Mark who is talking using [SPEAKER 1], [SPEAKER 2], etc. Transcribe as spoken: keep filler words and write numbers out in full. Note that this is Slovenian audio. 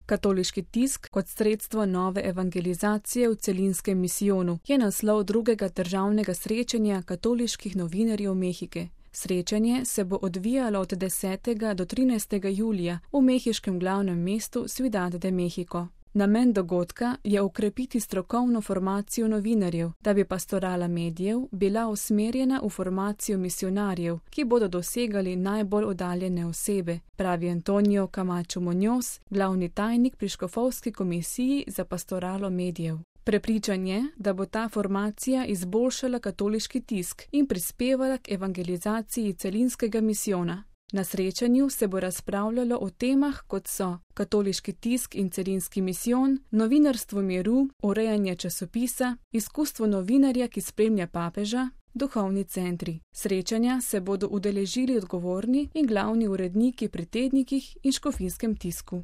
[SPEAKER 1] Katoliški tisk kot sredstvo nove evangelizacije v celinskem misijonu je naslov drugega državnega srečanja katoliških novinarjev Mehike. Srečanje se bo odvijalo od desetega do trinajstega julija v mehiškem glavnem mestu Ciudad de México. Namen dogodka je okrepiti strokovno formacijo novinarjev, da bi pastorala medijev bila usmerjena v formacijo misionarjev, ki bodo dosegali najbolj oddaljene osebe, pravi Antonio Camacho Muñoz, glavni tajnik pri škofovski komisiji za pastoralo medijev. Prepričan je, da bo ta formacija izboljšala katoliški tisk in prispevala k evangelizaciji celinskega misijona. Na srečanju se bo razpravljalo o temah, kot so katoliški tisk in celinski misijon, novinarstvo miru, urejanje časopisa, izkustvo novinarja, ki spremlja papeža, duhovni centri. Srečanja se bodo udeležili odgovorni in glavni uredniki pri tednikih in škofijskem tisku.